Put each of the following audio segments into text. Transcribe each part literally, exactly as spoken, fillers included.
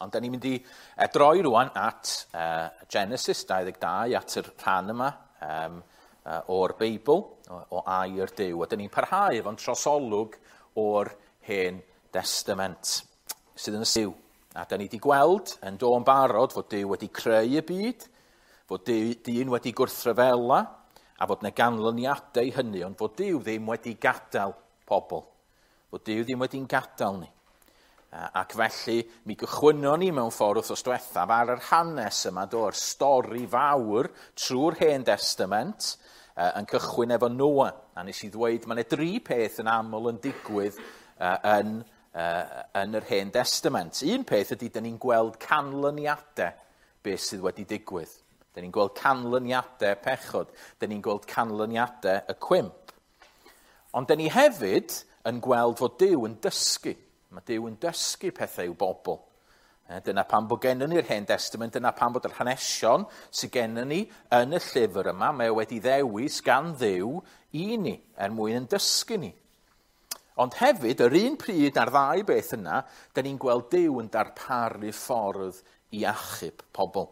Ond da ni'n mynd i droi rwan at uh, Genesis dau ddeg dau, at yr rhan yma um, uh, o'r Beibl, o, o air Duw. A da ni'n parhau efo'n trosolwg o'r Hen Testament sydd yn y Duw. A da ni wedi gweld yn do yn barod fod Duw wedi creu y byd, fod Duw, dyn wedi gwrthryfela, a fod yna ganlyniadau hynny, ond fod Duw ddim wedi gadael pobl. Fod Duw ddim wedi'n gadael ni. Ac felly, mi gychwynnon ni mewn ffordd wythnos diwethaf ar yr hanes yma, do'r stori fawr trwy'r Hen Testament, yn cychwyn efo Noa. A nes i ddweud, mae yna dri peth yn aml yn digwydd yn, yn yr Hen Testament. Un peth ydy, dyn ni'n gweld canlyniadau beth sydd wedi digwydd. Dyn ni'n gweld canlyniadau pechod. Dyn ni'n gweld canlyniadau y cwymp. Ond dyn ni hefyd yn gweld fod Duw yn dysgu. Mae Duw yn dysgu pethau i'w bobl. Dyna pam bod gennym ni'r Hen Testament, dyna pam bod yr hanesion sydd gennym ni yn y llyfr yma, mae o wedi ddewis gan Dduw i ni, er mwyn yn dysgu ni. Ond hefyd, yr un pryd a'r ddau beth yna, dyn ni'n gweld Duw yn darparu ffordd i achub pobl.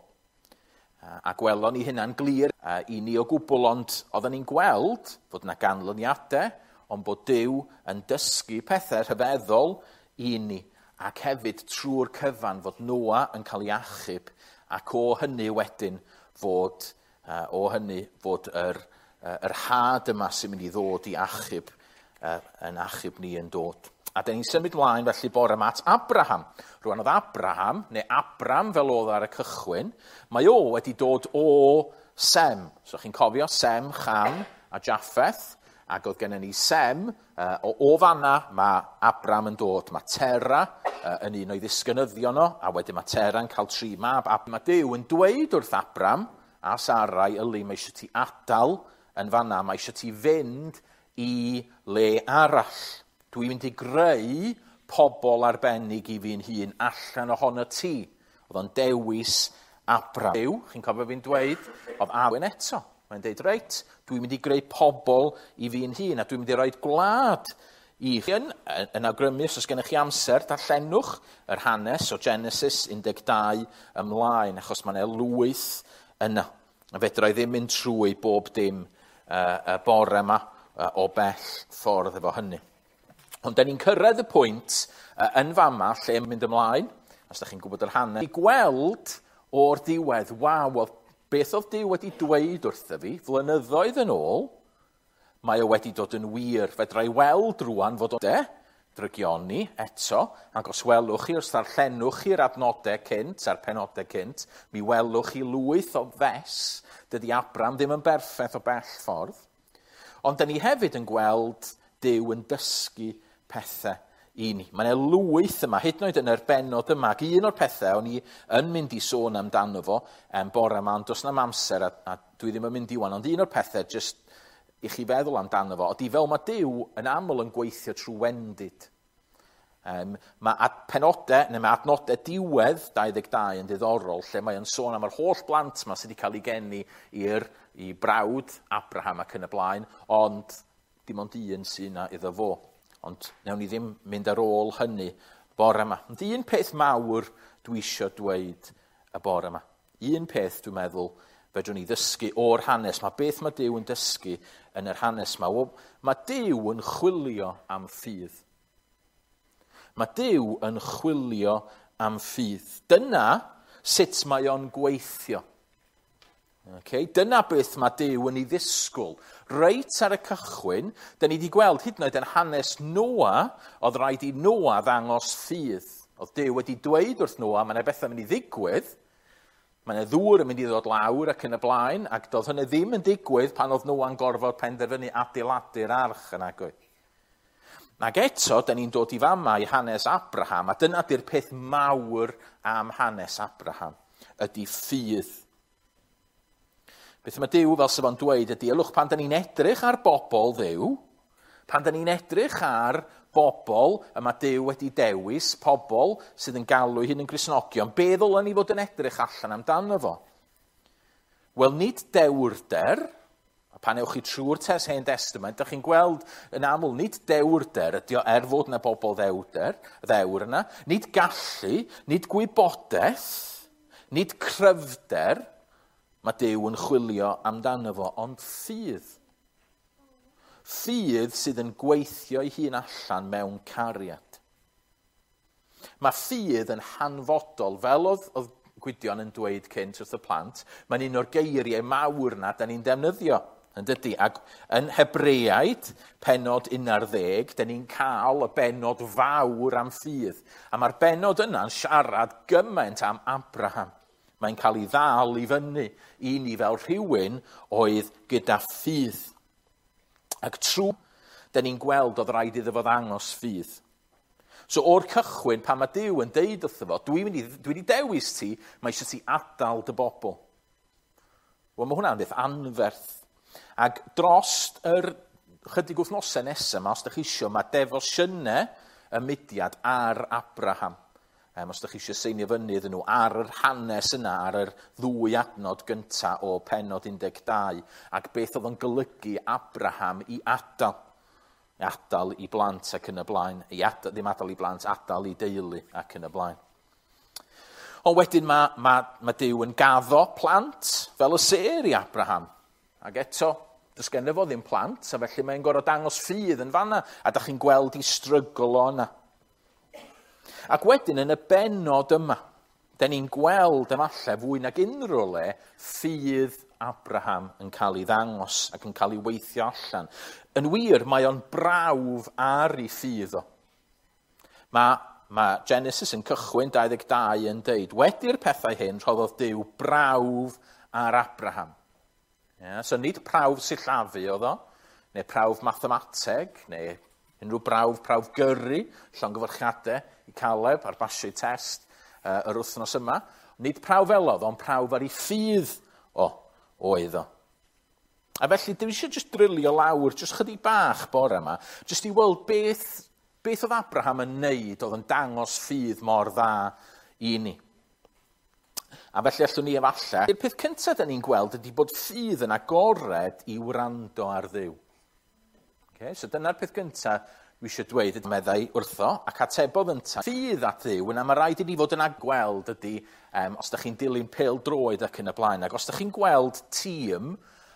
A gwelon ni hynna'n glir i ni o gwbl, ond oedden ni'n gweld fod yna ganlyniadau, ond bod Duw yn dysgu pethau rhyfeddol i ni, ac hefyd trwy'r cyfan fod Noa yn cael ei achub, ac o hynny wedyn fod, uh, o hynny fod yr, uh, yr had yma sy'n mynd i ddod i achub, uh, yn achub ni yn dod. A dyn ni'n symud mlaen felly bore yma at Abraham. Rwan oedd Abraham, neu Abram fel oedd ar y cychwyn, mae o wedi dod o Sem. So chi'n cofio Sem, Cham a Japheth, ac oedd gennym ni Sem, uh, o, o fanna mae Abram yn dod. Mae Tera uh, yn un o'i ddisgynyddion o, a wedyn mae Tera yn cael tri mab. A mae Duw yn dweud wrth Abram a Sarai, yli, mae eisiau ti adael yn fanna, mae eisiau ti fynd i le arall. Dwi'n mynd i greu pobl arbennig i fi'n hun allan ohono ti. Oedd o'n dewis Abram. Duw, chi'n cofio fi'n dweud, oedd Awen eto. Mae'n deud, reit, dwi'n mynd i greu pobl i fi'n hun, a dwi'n mynd i roi gwlad i chi. Yn, yn awgrymu, os oes gennych chi amser, darllenwch yr hanes o Genesis un deg dau ymlaen, achos mae yna lwyth yna. A fedra i ddim mynd trwy bob dim uh, y bore yma uh, o bell ffordd efo hynny. Ond da ni'n cyrraedd y pwynt uh, yn fama lle mynd ymlaen, os da chi'n gwybod yr hanes, i gweld o'r diwedd, waw, oedd beth oedd Duw wedi dweud wrtho fi flynyddoedd yn ôl, mae o wedi dod yn wir. Fedra i weld rwan fod o de, drygioni eto, ac os welwch chi, os ddarllenwch chi'r adnodau cynt a'r penodau cynt, mi welwch chi lwyth o fes. Dydy Abram ddim yn berffaith o bell ffordd. Ond dyn ni hefyd yn gweld Duw yn dysgu pethau i ni. Mae yna lwyth yma, hyd yn oed yn yr bennod yma, ac un o'r pethau o'n i yn mynd i sôn amdano fo um, bore yma, ond does na'm amser a, a dwi ddim yn mynd i wan, ond un o'r pethau jyst i chi feddwl amdano fo, ydy fel mae Duw yn aml yn gweithio trwy wendid. Um, mae ad, penodau, neu mae adnodau diwedd dau ddeg dau yn ddiddorol, lle mae yn sôn am yr holl blant yma sydd wedi cael ei geni i'r i brawd Abraham ac yn y blaen, ond dim ond un sydd yna iddo fo. Ond newn ni ddim mynd ar ôl hynny bore yma. Ond un peth mawr dwi eisiau dweud y bore yma. Un peth dwi'n meddwl fedrwn ni ddysgu o'r hanes. Mae beth mae Duw yn dysgu yn yr hanes yma. Wel, mae Duw yn chwilio am ffydd. Mae Duw yn chwilio am ffydd. Dyna sut mae o'n gweithio. Okay? Dyna beth mae Duw yn ei ddisgwyl. Reit ar y cychwyn, dyn ni wedi gweld hyd yn oed yn hanes Noa, oedd rhaid i Noa ddangos ffydd. Oedd Duw wedi dweud wrth Noa, mae yna bethau mynd i ddigwydd, mae yna ddŵr yn mynd i ddod lawr ac yn y blaen, ac doedd hynny ddim yn digwydd pan oedd Noa'n gorfod penderfynu adeiladu'r arch yn agwedd. Ac eto, dyn ni'n dod i fama i hanes Abraham, a dyna di'r peth mawr am hanes Abraham, ydy ffydd. Beth mae Duw fel sef o'n dweud ydy, ylwch pan da ni'n edrych ar bobl Dduw, pan da ni'n edrych ar bobl y mae Duw wedi dewis, pobl sydd yn galw eu hun yn Gristnogion, be ddylen ni fod yn edrych allan amdano fo? Wel, nid dewrder, A pan ewch chi trwy'r tes Hen Testament, ydych chi'n gweld yn aml nid dewrder ydy o, er fod yna bobl ddewrder, ddewr yna, nid gallu, nid gwybodaeth, nid cryfder, mae Duw yn chwilio amdano fo, ond ffydd. Ffydd sydd yn gweithio ei hun allan mewn cariad. Mae ffydd yn hanfodol, fel oedd, oedd Gwydion yn dweud cynt wrth y plant, mae'n un o'r geiriau mawr na da ni'n defnyddio, yn dydy. Ac yn Hebreaid, pennod un ar ddeg, da ni'n cael y bennod fawr am ffydd. A mae'r bennod yna'n siarad gymaint am Abraham. Mae'n cael ei ddal i fyny i ni fel rhywun oedd gyda ffydd. Ac trwy, da ni'n gweld oedd rhaid iddo fo ddangos ffydd. So o'r cychwyn, pan mae Duw yn deud wrtho fo, dwi'n mynd i, dwi wedi dewis ti, mae eisiau ti adael dy bobl. Wel, mae hwnna'n beth anferth. Ac dros yr chydig wythnosau nesaf yma, os ydych chi eisiau, mae defosiynau y mudiad ar Abraham. Um, os ydych chi eisiau seinio fyny iddyn nhw ar yr hanes yna, ar yr ddwy adnod gyntaf o pennod un deg dau, ac beth oedd yn golygu Abraham i adael. Adael i blant ac yn y blaen, i adael, ddim adael i blant, adael i deulu ac yn y blaen. Ond wedyn mae, mae, mae Duw yn gaddo plant fel y sêr i Abraham. Ac eto, does ganddo fo ddim plant, a felly mae'n gorfod dangos ffydd yn fanna, a da chi'n gweld i strygl o yna. Ac wedyn yn y bennod yma, da ni'n gweld efallai fwy nag unrhyw le ffydd Abraham yn cael ei ddangos ac yn cael ei weithio allan. Yn wir, mae o'n brawf ar ei ffydd o. Mae, mae Genesis yn cychwyn dau ddeg dau yn deud, wedi'r pethau hyn rhoddodd Duw brawf ar Abraham. Yeah, so nid prawf sillafu oedd o, neu prawf mathemateg, neu unrhyw brawf, prawf gyrru, llongyfarchiadau i Caleb ar basio test uh, yr wythnos yma. Nid prawf fel oedd, ond prawf ar ei ffydd o, oedd o. A felly, dwi eisiau just drilio lawr, just chydig bach bore yma, just i weld beth, beth oedd Abraham yn neud, oedd yn dangos ffydd mor dda i ni. A felly allwn ni efallai, y peth cyntaf da ni'n gweld ydy bod ffydd yn agored i wrando ar Dduw. Okay, so dyna'r peth gyntaf dwi eisiau dweud, meddai wrtho, ac atebodd yntau. Ffydd at Dduw, yna mae rhaid i ni fod yn agweld ydy, um, os da chi'n dilyn pêl-droed ac yn y blaen, ac os da chi'n gweld tîm,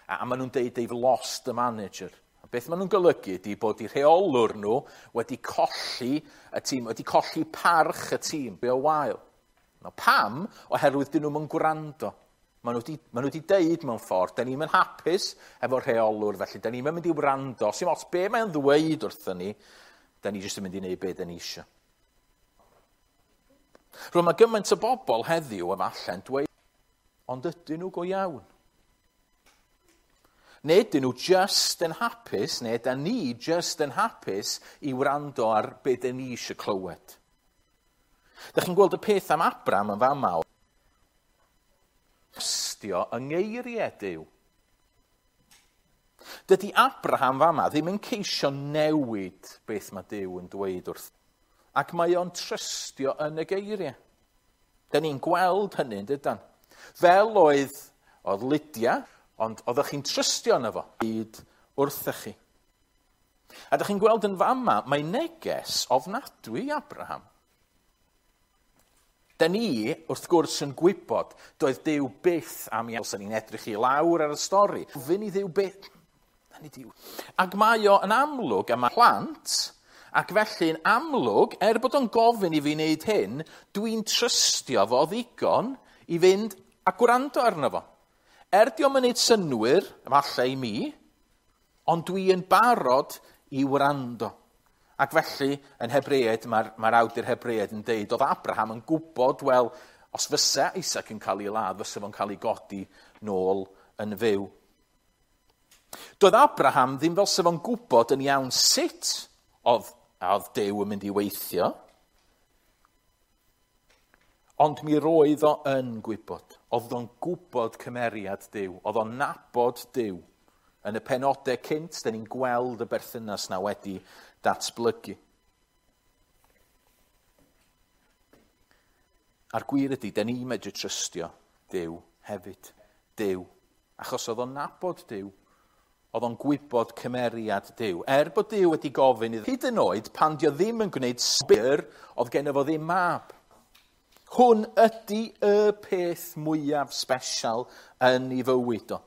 a, a maen nhw'n deud they've lost the manager. A beth maen nhw'n golygu ydy bod eu rheolwr nhw wedi colli y tîm, wedi colli parch y tîm, be o wael. No, pam? Oherwydd dyn nhw'n gwrando. Maen nhw wedi, maen nhw wedi deud mewn ffordd, da ni'n hapus efo'r rheolwr, felly da ni'n mynd i wrando. Sim ots be mae'n ddweud wrthyn ni, da ni jyst yn mynd i wneud be da ni eisiau. Rwy'n mae gymaint o bobl heddiw efallai'n dweud, ond ydyn nhw go iawn? Neu ydyn nhw just yn hapus, neu da ni just yn hapus i wrando ar be da ni eisiau clywed. Da chi'n gweld y peth am Abraham yn fama. Trystio yng ngeiriau Duw. Dydy Abraham fama ddim yn ceisio newid beth mae Duw yn dweud wrth. Ac mae o'n trystio yn y geiriau. Da ni'n gweld hynny, dydan. Fel oedd, oedd Lydia, ond oeddech chi'n trystio yno fo, hyd wrthych chi. A da chi'n gweld yn fama, mae neges ofnadwy i Abraham. Da ni, wrth gwrs, yn gwybod, doedd Duw byth am iawn. Os ni'n edrych i lawr ar y stori, gofyn i Dduw byth. Ac mae o yn amlwg, a mae plant, ac felly'n amlwg, er bod o'n gofyn i fi wneud hyn, dwi'n trystio fo ddigon i fynd a gwrando arno fo. Er di o'm yn neud synnwyr, efallai i mi, ond dwi yn barod i wrando. Ac felly, yn Hebreaid, mae'r mae awdur Hebreaid yn deud, oedd Abraham yn gwybod, wel, os fysa Isaac yn cael ei ladd, fysa fo'n cael ei godi nôl yn fyw. Doedd Abraham ddim fel sa fo'n gwybod yn iawn sut oedd, oedd Duw yn mynd i weithio, ond mi roedd o yn gwybod. Oedd o'n gwybod cymeriad Duw, oedd o'n nabod Duw. Yn y penodau cynt, da ni'n gweld y berthynas na wedi datblygu. A'r gwir ydy, da ni'n medru trystio Duw hefyd. Duw. Achos oedd o'n nabod Duw. Oedd o'n gwybod cymeriad Duw. Er bod Duw wedi gofyn iddo, hyd yn oed pan dio ddim yn gwneud sbyr, oedd genno fo ddim mab. Hwn ydy y peth mwyaf special yn ei fywyd o.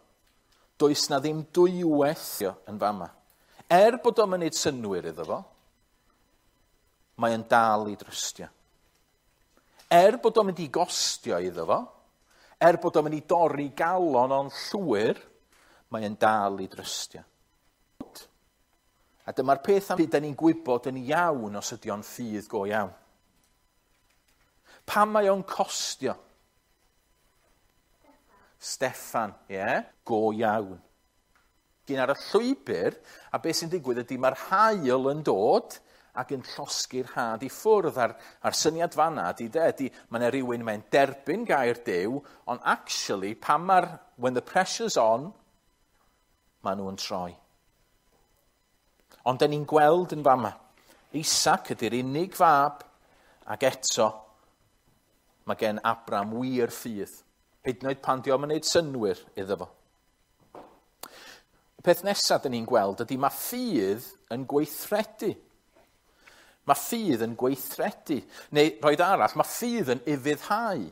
Does na ddim dwywaith yn fama. Er bod o'n mynd synnwyr iddo fo, mae yn dal i drystio. Er bod o'n mynd i gostio iddo fo, er bod o'n mynd i dorri galon o'n llwyr, mae yn dal i drystio. A dyma'r peth am byd da ni'n gwybod yn iawn os ydy o'n ffydd go iawn. Pam mae o'n costio? Steffan, ie, yeah? Go iawn. Gyn ar y llwybr, a beth sy'n digwydd ydy mae'r haul yn dod ac yn llosgi'r had i ffwrdd. A'r, a'r syniad fanna ydy, de, ydy mae yna rhywun mae'n derbyn gair Duw, ond actually, pan mae'r, when the pressure's on, maen nhw'n troi. Ond da ni'n gweld yn fama, Isaac ydy'r unig fab, ac eto, mae gen Abraham wir ffydd. Hyd yn oed pan di o'm yn gwneud synnwyr iddo fo. Y peth nesaf dyn ni'n gweld ydy mae ffydd yn gweithredu. Mae ffydd yn gweithredu. Neu, roed arall, mae ffydd yn ufuddhau.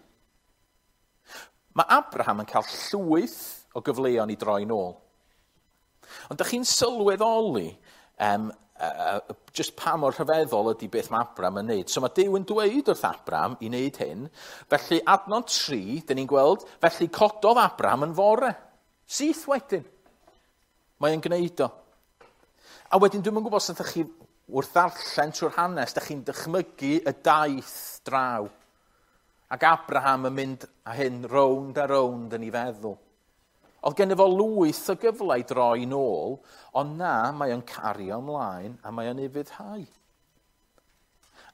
Mae Abraham yn cael llwyth o gyfleon i droi nôl. Ond dych chi'n sylweddoli um, uh, just pa mor rhyfeddol ydy beth mae Abraham yn neud. So mae Duw yn dweud wrth Abraham i wneud hyn. Felly adnod tri, dyn ni'n gweld, felly cododd Abraham yn fore. Syth wedyn. Mae yn gwneud o. A wedyn dwi'm yn gwybod os ydych chi wrth ddarllen trwy'r hanes, ydych chi'n dychmygu y daith draw. Ac Abraham yn mynd â hyn rownd a rownd yn ei feddwl. Oedd gen fo lwyth o gyfle i droi nôl, ond na, mae o'n cario ymlaen a mae o'n ufuddhau.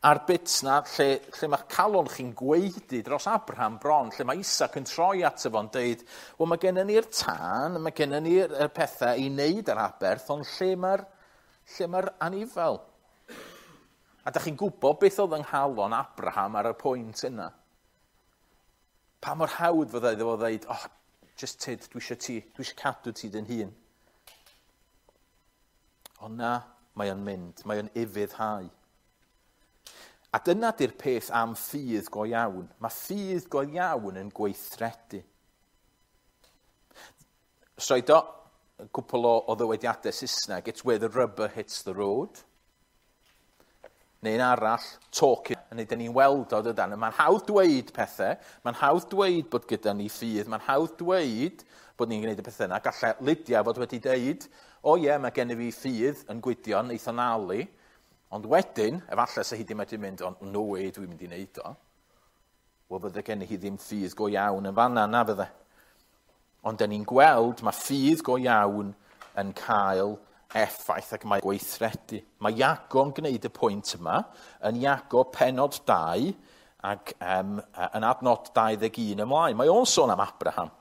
A'r bit na, lle, lle mae calon chi'n gwaedu dros Abraham bron, lle mae Isaac yn troi ato fo'n deud, wel mae gennym ni'r tân, mae gennym ni'r pethau i wneud yr aberth, ond lle mae'r lle mae'r anifel? A da chi'n gwybod beth oedd yng nghalon Abraham ar y pwynt yna? Pa mor hawdd fyddai iddo fo ddeud, oh, just tyd, dwi eisiau ti, dwi eisiau cadw ti dyn hun. Ond na, mae o'n mynd, mae o'n ufuddhau. A dyna di'r peth am ffydd go iawn. Mae ffydd go iawn yn gweithredu. Soedo, cwpl o, o ddywediadau Saesneg, it's where the rubber hits the road. Neu'n arall, talking. Neu dyn ni'n weld o dydan. Mae'n hawdd dweud pethau, mae'n hawdd dweud bod gyda ni ffydd, mae'n hawdd dweud bod ni'n gwneud y pethau yna. Gallai Lydia fod wedi dweud, o ie, mae gen i fi ffydd yn Gwydion, eitha nali. Ond wedyn, efallai sa hi ddim wedi mynd, ond no way dwi'n mynd i wneud o. Wel, fydde gen i hi ddim ffydd go iawn yn fanna, na fydde. Ond dyn ni'n gweld mae ffydd go iawn yn cael effaith ac mae gweithredu. Mae Iago'n gwneud y pwynt yma yn Iago penod dau ac um, yn adnod dau ddeg un ymlaen. Mae o'n sôn am Abraham.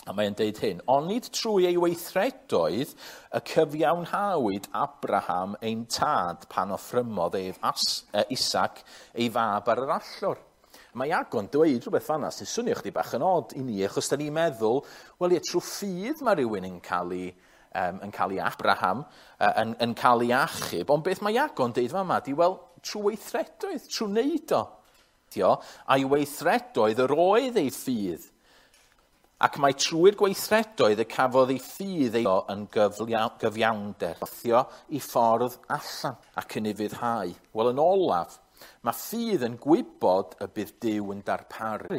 A mae'n deud hyn, onid trwy ei weithredoedd y cyfiawnhawyd Abraham ein tad pan offrymodd ef As, uh, Isaac ei fab ar yr allor. Mae Iago'n dweud rhywbeth fanna sy'n swnio chdi bach yn od i ni, achos da ni'n meddwl, wel ie, trwy ffydd mae rhywun yn cael ei, um, yn cael ei Abraham, uh, yn, yn cael ei achub, ond beth mae Iago'n deud fama di, wel, trwy weithredoedd, trwy wneud o. Dio, a'i weithredoedd yr oedd ei ffydd. Ac mae trwy'r gweithredoedd y cafodd ei ffydd ei yn gyfiawnder, wthio i ffordd allan ac yn ufuddhau. Wel, yn olaf, mae ffydd yn gwybod y bydd Duw yn darparu.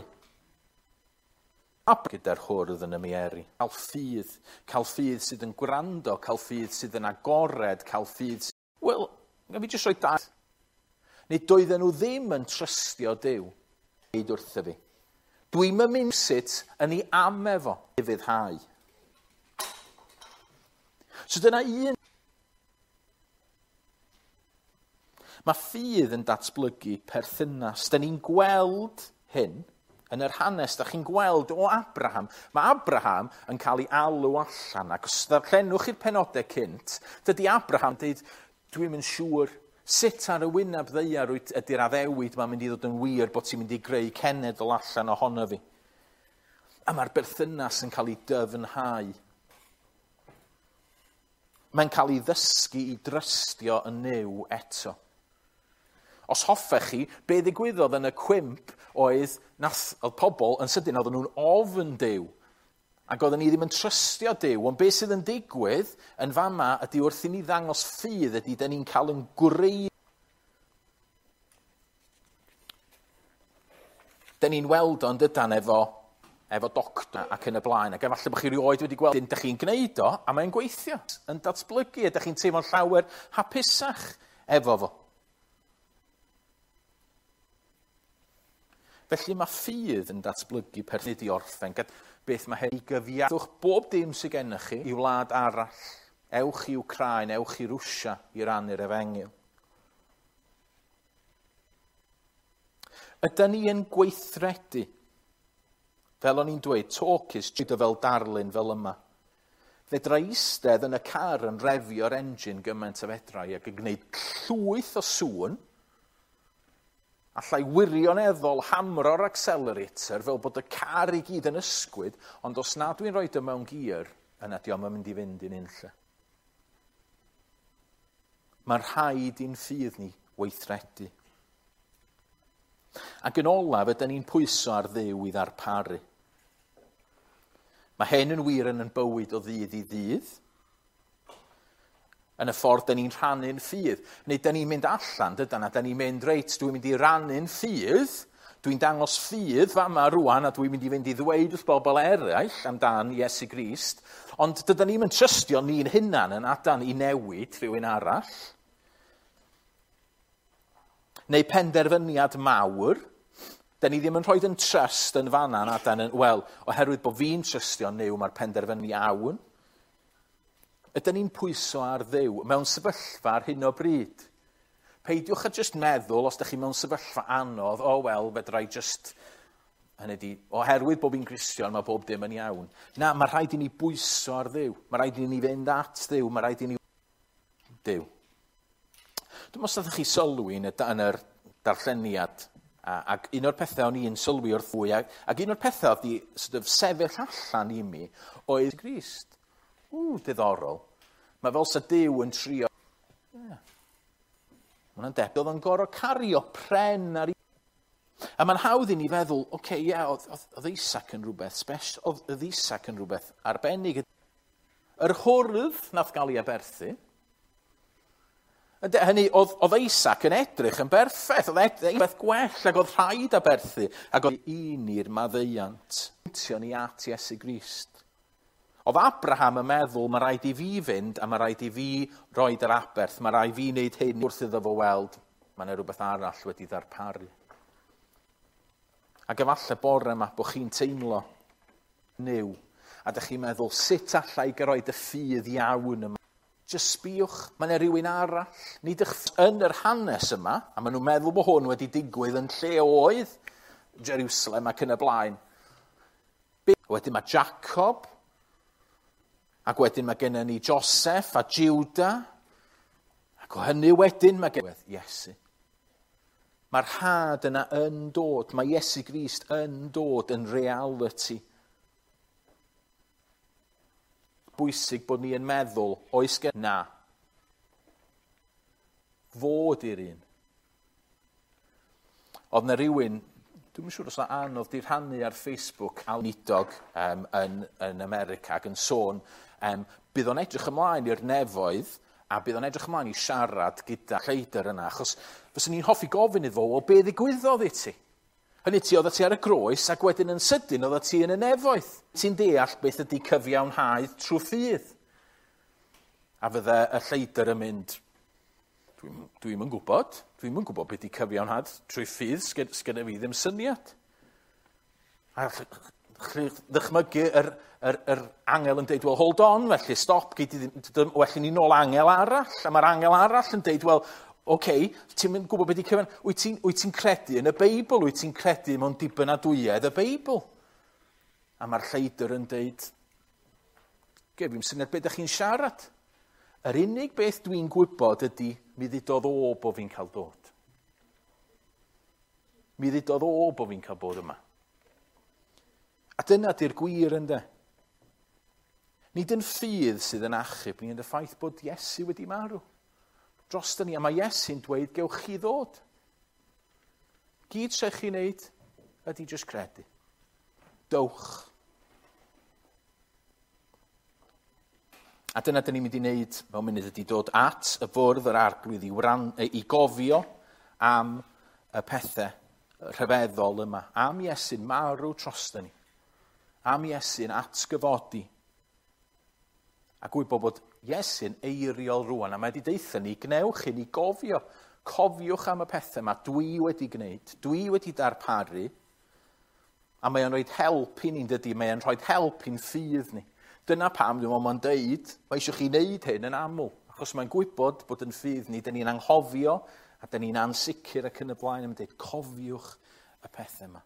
A gyda'r hwrdd yn y mieri. Cael ffydd, cael ffydd sydd yn gwrando, cael ffydd sydd yn agored, cael ffydd sydd... Wel, gaf fi jyst rhoi dau. Neu doedden nhw ddim yn trystio Duw. Dweud wrtho fi. Dwi'm yn mynd sut yn ei am efo ufuddhau. So dyna un. Mae ffydd yn datblygu perthynas. Da ni'n gweld hyn yn yr hanes. Da chi'n gweld o Abraham. Mae Abraham yn cael ei alw allan. Ac os ddarllenwch i'r penodau cynt, dydy Abraham dweud, dwi'm yn siŵr sut ar y wyneb ddaear ydy'r addewid mae'n mynd i ddod yn wir bod ti'n mynd i greu cenedl allan ohono fi. A mae'r berthynas yn cael ei dyfnhau. Mae'n cael ei ddysgu i drystio yn Nuw eto. Os hoffech chi, be ddigwyddodd yn y cwymp oedd, nath, oedd pobl yn sydyn, oedden nhw'n ofn Duw. Ac oedden ni ddim yn trystio Duw. Ond beth sydd yn digwydd yn fama ydy wrth i ni ddangos ffydd ydy, da ni'n cael yn gwrei. Da ni'n weld o'n dydan efo, efo doctor ac yn y blaen. Ac efallai bod chi rioed wedi gweld, da chi'n gwneud o, a mae'n gweithio, yn datblygu, a da chi'n teimlo'n llawer hapusach efo fo. Felly mae ffydd yn datblygu perthyn i orffen. Beth mae hyn i gyfiaddwch bob dim sydd gennych chi i wlad arall. Ewch i Wcráin, ewch i Rwsia i rannu'r efengyl. Ydy ni yn gweithredu? Fel o'n i'n dweud, talk is cheap fel darlun fel yma. Fedra eistedd yn y car yn refio'r engine gymaint o fedrau ac yn gwneud llwyth o sŵn. Allai wirioneddol hamro'r accelerator fel bod y car i gyd yn ysgwyd, ond os na dwi'n rhoi o mewn gear, yna dio'm yn mynd i fynd i'n unlle. Mae'n rhaid i'n ffydd ni weithredu. Ac yn olaf, ydyn ni'n pwyso ar Dduw i ddarparu. Mae hyn yn wir yn yn bywyd o ddydd i ddydd. Yn y ffordd dyn ni'n rhannu'n ffydd. Neu dyn ni'n mynd allan, dydan, a dyn ni'n mynd, reit, dwi'n mynd i rannu'n ffydd, dwi'n dangos ffydd fama rwan, a dwi'n mynd i fynd i ddweud wrth bobl eraill amdan Iesu Grist, ond dydan ni'n mynd trystio ni'n hunan yn adan i newid rhywun arall. Neu penderfyniad mawr, dyn ni ddim yn rhoi yn trust yn fanna, adan, wel, oherwydd bod fi'n trystio Nuw, mae'r penderfyniad iawn. Ydyn ni'n pwyso ar Dduw mewn sefyllfa ar hyn o bryd? Peidiwch a jyst meddwl, os ydych chi mewn sefyllfa anodd, o oh, wel, fedra i jyst, hynny di, oherwydd bod fi'n Gristion, mae bob dim yn iawn. Na, mae rhaid i ni bwyso ar Dduw. Mae rhaid i ni fynd at Dduw. Mae rhaid i ni... Duw. Dwi'n meddwl os ydych chi sylwi yn y, yn yr darlleniad, a, ac un o'r pethau o'n i'n sylwi wrth fwy, ac, ac un o'r pethau oedd di sort of, sefyll allan i mi, oedd Grist. Ww, diddorol. Mae fel sa Duw yn trio. Yeah. Mae hwnna'n debyg. Oedd o'n gorfod cario pren ar i... A mae'n hawdd i ni feddwl, oce, okay, ie, yeah, oedd, oedd Isaac yn rhywbeth special, oedd, oedd Isaac yn rhywbeth arbennig. Yr hwrdd nath gael ei aberthu. Hynny, oedd, oedd Isaac yn edrych yn berffaith, oedd edrych beth gwell, ac oedd rhaid aberthu, ac oedd un i'r maddeuant. Pwyntio ni at Iesu Grist. Oedd Abraham yn meddwl, mae rhaid i fi fynd a mae rhaid i fi roed yr aberth, mae rhaid i fi wneud hyn wrth iddo fo weld, mae yna rhywbeth arall wedi ddarparu. Ac efallai bore yma bod chi'n teimlo Nuw, a dych chi'n meddwl, sut allai gyroed y ffydd iawn yma? Just sbïwch, mae yna rhywun arall. Nid ych yn yr hanes yma, a maen nhw'n meddwl bod hwn wedi digwydd yn lle oedd Jerusalem ac yn y blaen. Wedyn mae Jacob, ac wedyn mae gennym ni Joseph a Judah, ac o hynny wedyn mae gennym Iesu. Mae'r had yna yn dod, mae Iesu Grist yn dod yn reality. Bwysig bod ni yn meddwl, oes gen... Na. Fod i'r un. Oedd na rhywun, dwi'n siŵr os na anodd di rhannu ar Facebook a nidog um, yn, yn America ac yn sôn, um, bydd o'n edrych ymlaen i'r nefoedd a bydd o'n edrych ymlaen i siarad gyda lleidr yna, achos fyswn ni'n hoffi gofyn iddo fo, o be ddigwyddodd i ti? Hynny ti, oeddet ti ar y groes ac wedyn yn sydyn oeddet ti yn y nefoedd. Ti'n deall beth ydy cyfiawnhau trwy ffydd. A fydde y lleidr yn mynd, dwi'n dwi'm yn gwybod, dwi'm yn gwybod beth ydy cyfiawnhad trwy ffydd, sgen fi ddim syniad. A ddychmygu yr, yr, yr angel yn deud, well, hold on, felly, stop, gei di ddim, well, ni nôl angel arall. A mae'r angel arall yn deud, well, oce, okay, ti'n mynd gwybod beth i cyfan, wyt ti'n wyt ti'n credu yn y Beibl, wyt ti'n credu mewn dibynadwyedd y Beibl? A mae'r lleidr yn deud, ge, fi'n syniad beth ydych chi'n siarad. Yr unig beth dwi'n gwybod ydy, mi ddudodd o bo fi'n cael dod. Mi ddudodd o bo fi'n cael bod yma. A dyna di'r gwir ynde. Nid yn ffydd sydd yn achub ni, ond y ffaith bod Iesu wedi marw. Dros ni, a mae Iesu'n dweud, gewch chi ddod. Gyd sy'ch chi'n neud ydy jyst credu. Dowch. A dyna dyn ni'n mynd i wneud mewn munud ydy dod at y fwrdd yr arglwydd i, wran, i gofio am y pethau rhyfeddol yma. Am Iesu'n marw drosto ni. Am Iesu'n atgyfodi. A gwybod bod Iesu'n eiriol rwan, a mae wedi deutha ni, gnewch i ni gofio. Cofiwch am y pethau yma dwi wedi gwneud, dwi wedi darparu, a mae o'n rhoi help i ni'n dydy, mae o'n rhoi help i'n ffydd ni. Dyna pam dwi'n meddwl mae'n deud, mae eisiau chi wneud hyn yn aml, achos mae'n gwybod bod yn ffydd ni, dyn ni'n anghofio, a dyn ni'n ansicr ac yn y blaen, a mae'n deud, cofiwch y pethau yma.